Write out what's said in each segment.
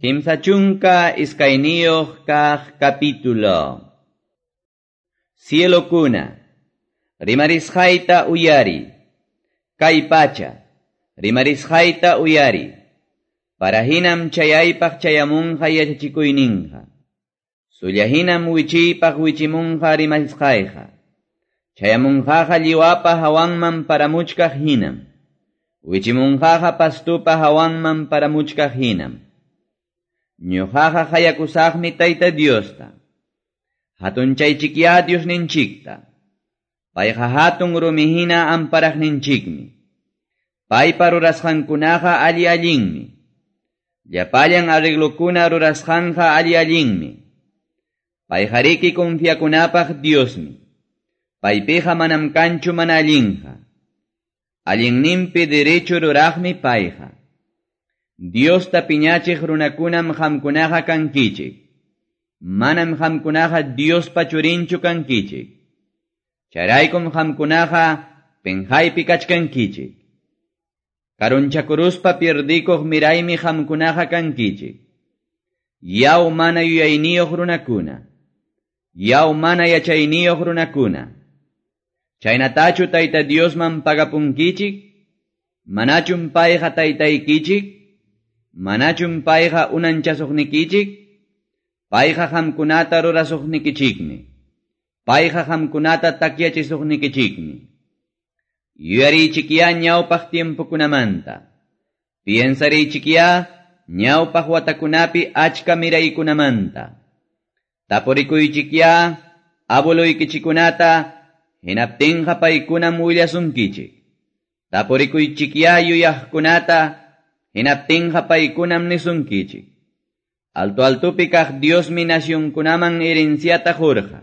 32 kaq capítulo. Cielokuna, rimarisqayta uyari. Kay pacha, rimarisqayta uyari. Parahinam chayaypaq chayamunqa yachachikuyninqa. Sullahinam wichiypaq wichimunqa rimarisqayqa. Chayamunqaqa lliwapa hawanman paramuchkaq hinam. Wichimunqaqa pastupa hawanman paramuchkaq hinam. Ñuqaqa hayakusaqmi Tayta Diosta. Hatunchaychikya Diosninchikta. Payqa hatun rumihina amparaqninchikmi. Paypa rurasqankunaqa alli allinmi. Llapallan arreglokuna rurasqanqa alli allinmi. Payqariki confiakunapaq Diosmi. Paypiqa manam kanchu mana allinqa. Allinninpi derecho ruraqmi payqa. Diosta piñachiq runakunam qamkunaqa kankichik. Manam qamkunaqa Diospa churinchu kankichik. Chayraykum qamkunaqa penqaypi kachkankichik. Karunchakuruspa pierdikuq miraymi qamkunaqa kankichik. Yaw mana yuyayniyuq runakuna. Yaw mana yachayniyuq runakuna. Chaynatachu Tayta Diosman pagapunkichik? Manachum payqa taytaykichik? Manachum payqa unanchasuqnikichik? Payqa qamkunata rurasuqnikichikmi. Payqa qamkunata takyachisuqnikichikmi. Yuyariychikyá ñawpaq tiempokunamanta. Piensariychikyá ñawpaq watakunapi achka miraykunamanta. Tapurikuychikyá abueluykichikunata hinaptinqa paykunam willasunkichik. Tapurikuychikyá yuyaqkunata hinaptinqa paykunam nisunkichik. Alto altupi kaq Diosmi nacionkunaman herenciata qurqa.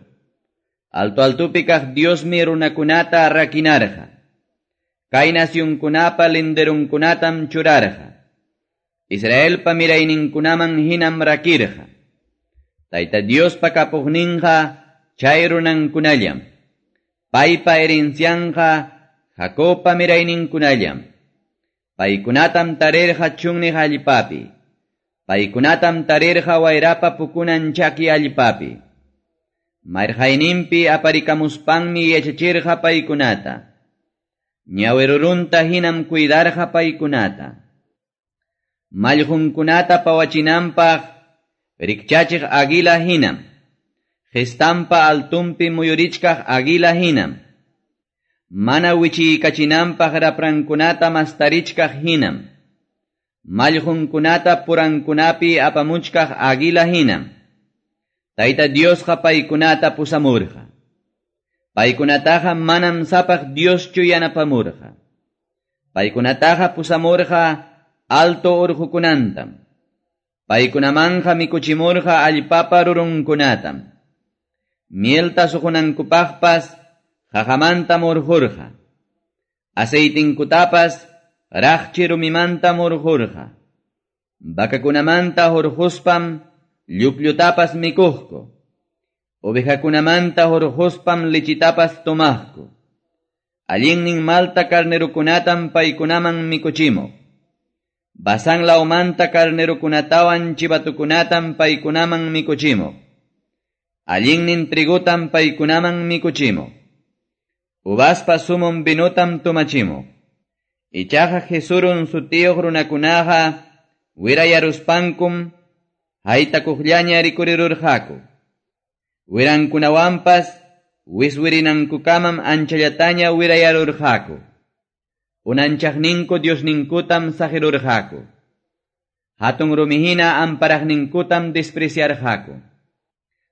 Alto altupi kaq Diosmi runakunata rakinarqa. Kay nacionkunapa linderunkunatam churarqa. Israelpa mirayninkunaman hinam rakirqa. Tayta Diospa kapuqninqa chay runankunallam. Paypa herencianqa Jacobpa mirayninkunallam. Paykunatam tarirqa chunniq allpapi. Paykunatam tarirqa wayrapa pukunan chaki allpapi. Marqayninpi aparikamuspanmi yachachirqa paykunata. Ñawirurunta hinam cuidarqa paykunata. Mallqunkunata pawachinanpaq rikchachiq águila hinam. Gestampa altumpi muyurichkaq águila hinam. Mana wichiykachinanpaq raprankunata mastarichkaq hinam. Mallqunkunata purankunapi apamuchkaq águila hinam. Tayta Diosqa paykunata pusamurqa. Paykunataqa manam sapaq Dioschu yanapamurqa. Paykunataqa pusamurqa alto urqukunantam. Paykunamanqa mikuchimurqa allpapa rurunkunatam. Mielta suqunankupaqpas qaqamanta murqurqa. Aceitinkutapas raqchi rumimanta murqurqa. Vacakunamanta hurquspam llukllutapas mikuqku. Ovejakunamanta hurquspam lichitapas tomaqku. Allinnin malta carnerukunatam paykunaman mikuchimuq. Basán lawmanta carnerukunatawan chivatukunatam paykunaman mikuchimuq. Allinnin trigutam paykunaman mikuchimuq. Uvaspa sumum vinutam tomachimuq. Ichaqa Jesurun sutiyuq runakunaqa wirayaruspankum haytakuqllaña rikurirurqaku. Wirankunawanpas wiswirinankukamam anchallataña wirayarurqaku. Unanchaqninku Diosninkutam saqirurqaku. Hatun rumihina amparaqninkutam despreciarqaku.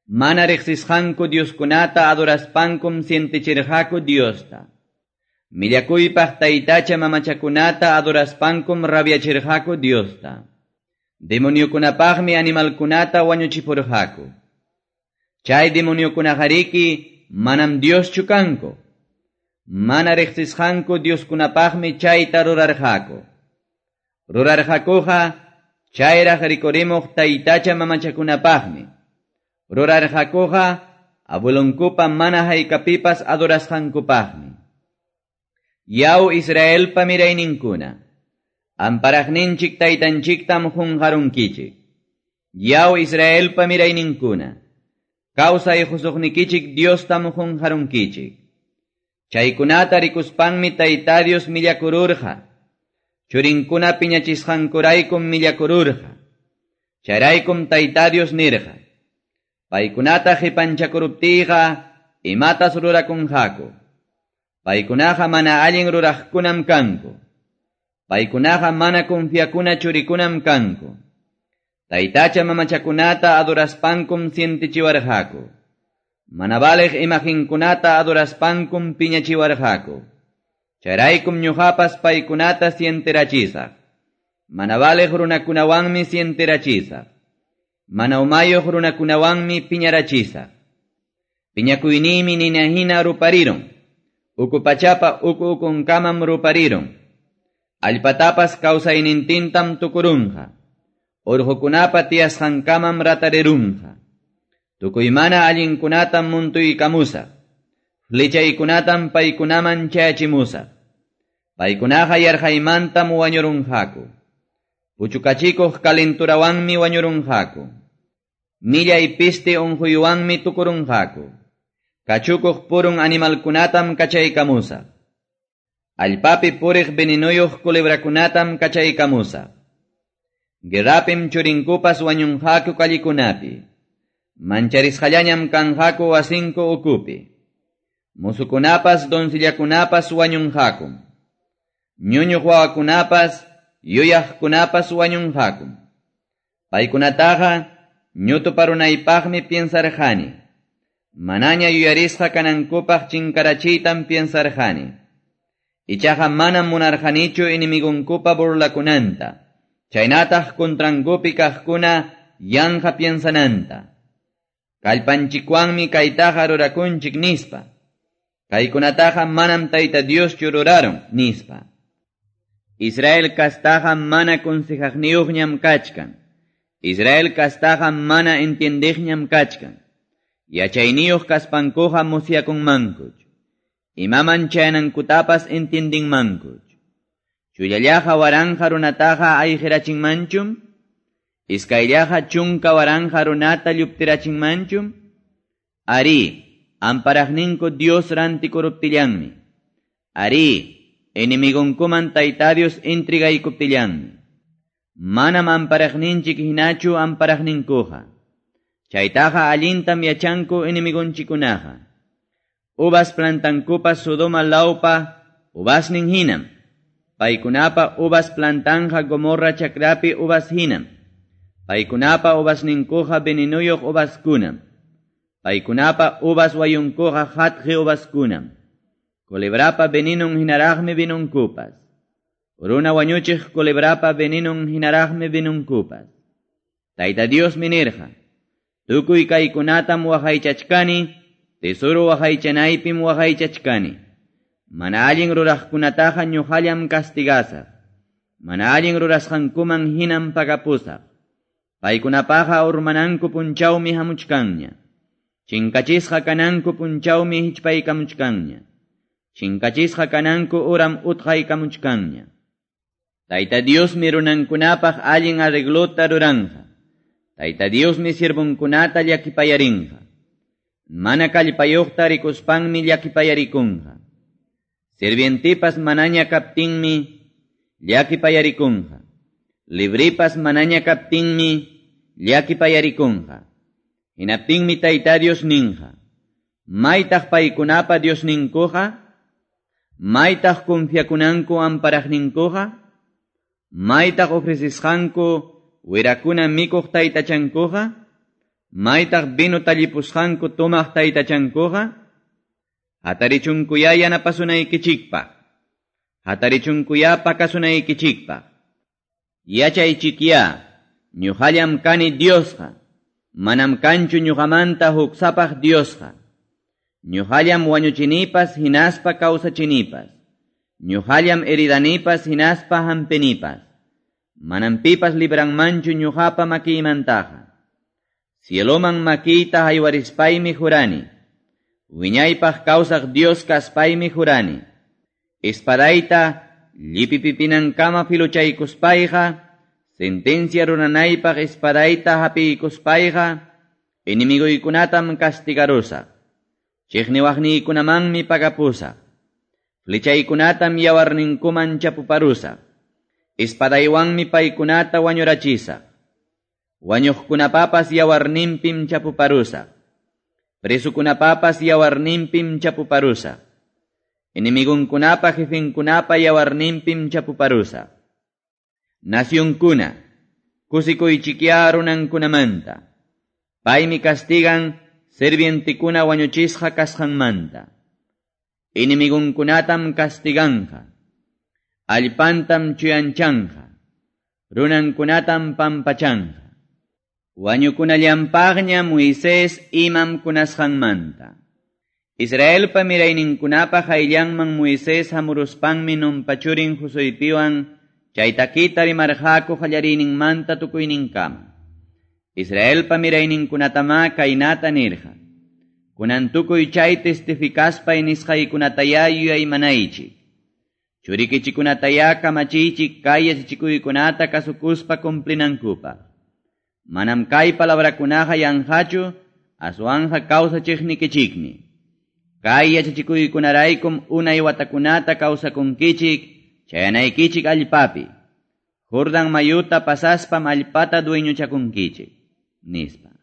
Mana riqsisqanku Dioskunata adoraspankum sientichirqaku Diosta. Millakuypaq taytacha mamachakunata adoraspankum rabiachirqaku Diosta. Demoniokunapaqmi animalkunata wañuchipurqaku. Chay demoniokunaqariki manam Dioschu kanku. Mana riqsisqanku Dioskunapaqmi chayta rurarqaku. Rurarqakuqa chayraq rikurimuq taytacha mamachakunapaqmi. Rurarqakuqa abuelunkupa mana haykapipas adorasqankupaqmi. Yaw Israelpa mirayninkuna, amparaqninchik taytanchiktam qunqarunkichik. Yaw Israelpa mirayninkuna, kawsay qusuqnikichik Diostam qunqarunkichik. Chaykunata rikuspanmi Tayta Dios millakururqa. Churinkuna piñachisqankuraykum millakururqa. Chayraykum Tayta Dios nirqa. Paykunata qipanchakuruptiyqa imatas rurakunqaku. Paykunaqa mana allin ruraqkunam kanku. Paykunaqa mana confiakuna churikunam kanku. Taytacha mamachakunata adoraspankum sientichiwarqaku. Mana valeq imaginkunata adoraspankum piñachiwarqaku. Chayraykum ñuqapas paykunata sienterachisaq. Mana valeq runakunawanmi sienterachisaq. Mana umayuq runakunawanmi piñarachisaq. Piñakuyniymi nina hina ruparirun. Uku pachapa uku ukunkamam ruparirun. Allpatapas kawsaynintintam tukurunqa. Urqukunapa tiyasqankamam ratarirunqa. Tukuy mana allinkunatam muntuykamusaq. Flechaykunatam paykunaman chayachimusaq. Paykunaqa yarqaymantam wañurunqaku. Puchukachikuq kalenturawanmi wañurunqaku. Millay piste unquywanmi tukurunqaku. Kachukuq purun animalkunatam kachaykamusaq. Allpapi puriq venenuyuq culebrakunatam kachaykamusaq. Guerrapim churinkupas wañunqaku kallikunapi. Mancharisqallañam kanqaku wasinku ukupi. Musukunapas doncillakunapas wañunqakum. Ñuñuq wawakunapas yuyaqkunapas wañunqakum. Paykunataqa ñutuparunaypaqmi piensarqani. Manaña yuyarisqa kanankupaq chinkarachiytam piensarqani. Ichaqa manam munarqanichu enemigunkupa burlakunanta. Chaynataq contrankupi kaqkuna yanqa piensananta. Kallpanchikwanmi kaytaqa rurakunchik nispa. Kaykunataqa manam Tayta Dioschu rurarun nispa. Israel kastaqa mana consejaqniyuqñam kachkan. Israel kastaqa mana entiendiqñam kachkan. Yachayniyuq kaspankuqa musyakunmankuch. Imaman chayanankutapas entiendinmankuch. Chullallaqa waranqa runataqa ayqirachinmanchum? Iskayllaqa chunka waranqa runata lluptirachinmanchum? Ari, amparaqninku Dios rantikuruptillanmi. Ari, enemigonkuman Tayta Dios intrigaykuptillanmi. Manam amparaqninchik hinachu amparaqninkuqa. Chaytaqa allintam yachanku enemigonchikunaqa. Uvas plantankupas Sodoma lawpa uvasnin hinam. Paykunapa uvas plantanja Gomorra chakrapi uvas hinam. Paykunapa uvasninkuqa venenuyuq uvaskunam. Paykunapa uvas wayunkuqa hatqi uvaskunam. Culebrapa venenon hinaraqmi vinunkupas. Runa wañuchiq culebrapa venenon hinaraqmi vinunkupas. Tayta Diosmi nirqa. Tukuy kaykunatam waqaychachkani, tesoro waqaychanaypim waqaychachkani. Mana allin ruraqkunataqa ñuqallam castigasaq. Mana allin rurasqankuman hinam pagapusaq. Paykunapaqa urmananku punchawmi hamuchkanña. Chinkachisqa kananku punchawmi hichpaykamuchkanña. Chinkachisqa kananku uram utqaykamuchkanña. Tayta Diosmi runankunapaq allin arreglota ruranqa. Tayta Diosmi siervunkunata llakipayarinqa. Mana kallpayuqta rikuspanmi llakipayarikunqa. Sirvientipas manaña kaptinmi llakipayarikunqa. Libripas manaña kaptinmi llakipayarikunqa. Hinaptinmi Tayta Dios ninqa. Maytaq paykunapa Diosninkuqa? Maytaq confiakunanku amparaqninkuqa? Maytaq ofrecisqanku wirakuna mikuq taytachankuqa? Maytaq vino tallipusqanku tomaq taytachankuqa? Hatarichunkuya yanapasunaykichikpaq. Hatarichunkuya pakasunaykichikpaq. Yachaychikya, ñuqallam kani Diosqa. Manam kanchu ñuqamanta huk sapaq Diosqa. Ñuqallam wañuchinipas hinaspa kawsachinipas. Ñuqallam heridanipas hinaspa hampinipas. Manam pipas libranmanchu ñuqapa makiymantaqa. Cieloman makiyta haywarispaymi jurani. Wiñaypaq kawsaq Dios kaspaymi jurani. Espadayta llipipipinankama filuchaykuspayqa Sentencia ruranaypaq espadayta hapiykuspayqa, enemiguykunatam castigarusaq. Chiqniwaqniykunamanmi pagapusaq. Flechaykunatam yawarninkuman chapuparusaq. Espadaywanmi paykunata wañurachisaq. Wañuqkunapapas yawarninpim chapuparusaq. Presukunapapas yawarninpim chapuparusaq. Enemigunkunapa jefenkunapa yawarninpim chapuparusaq. Nacionkuna, kusikuychikya runankunamanta. Paymi castigan sirvientekuna wañuchisqa kasqanmanta. Enemigunkunatam castiganqa. Allpantam chuyanchanqa. Runankunatam pampachanqa. Wañukunallampaqña Moisés imam kunasqanmanta. Israelpa mirayninkunapa qayllanman Moisés hamuruspanmi Nunpa churin Josuepiwan chay takita rimarqaku qallariyninmanta tukuyninkama. Israelpa mirayninkunatama kaynata nirqa. Kunan tukuy chay testificaspay nisqaykunataya yuyaymanaychik. Churikichikunataya kamachiychik kay yachachikuykunata kasukuspa cumplinankupaq. Manam kay palabrakunaqa yanqachu, aswanqa kawsachiqnikichikmi. Kay yachachikuykunaraykum unay watakunata kawsakunkichik, chayanaykichik allpapi. Jordan mayuta pasaspam allpata dueñochakunkichik, nispa.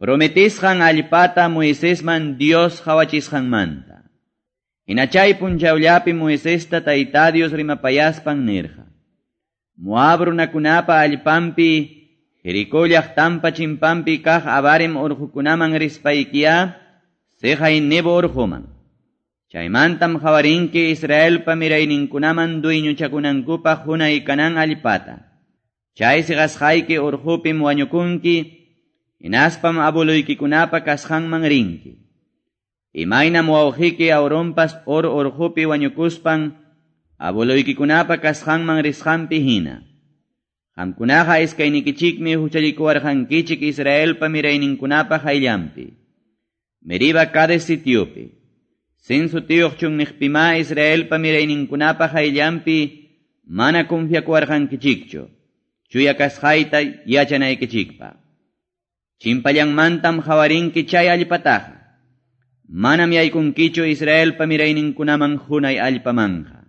Prometisqan allpata Moisesman Dios qhawachisqanmanta. Hina chay punchawllapi Moisesta Tayta Dios rimapayaspan nirqa. Moab runakunapa allpanpi, Jericó llaqtanpa chimpanpi kaq Abarim urqukunaman rispaykiya, siqay Nebo urquman. Chaymantam qhawarinki Israelpa mirayninkunaman dueñochakunankupaq qunay kanan allpata. Chay siqasqayki urqupim wañukunki, hinaspam abueluykikunapa kasqanman rinki. Imaynam wawqiyki Aaronpas Hor urqupi wañukuspan, abueluykikunapa kasqanman risqanpi hina. Qamkunaqa iskaynikichikmi huchallikuwarqankichik Israelpa mirayninkunapa qayllanpi. Meriba Cades sitiopi. Sin sutiyuq chunniqpima Israelpa mirayninkunapa qayllanpi mana confiakuwarqankichikchu. Chuya kasqayta yachanaykichikpaq. Chimpallanmantam qhawarinki chay allpataqa. Manam yaykunkichu Israelpa mirayninkunaman qunay allpamanqa.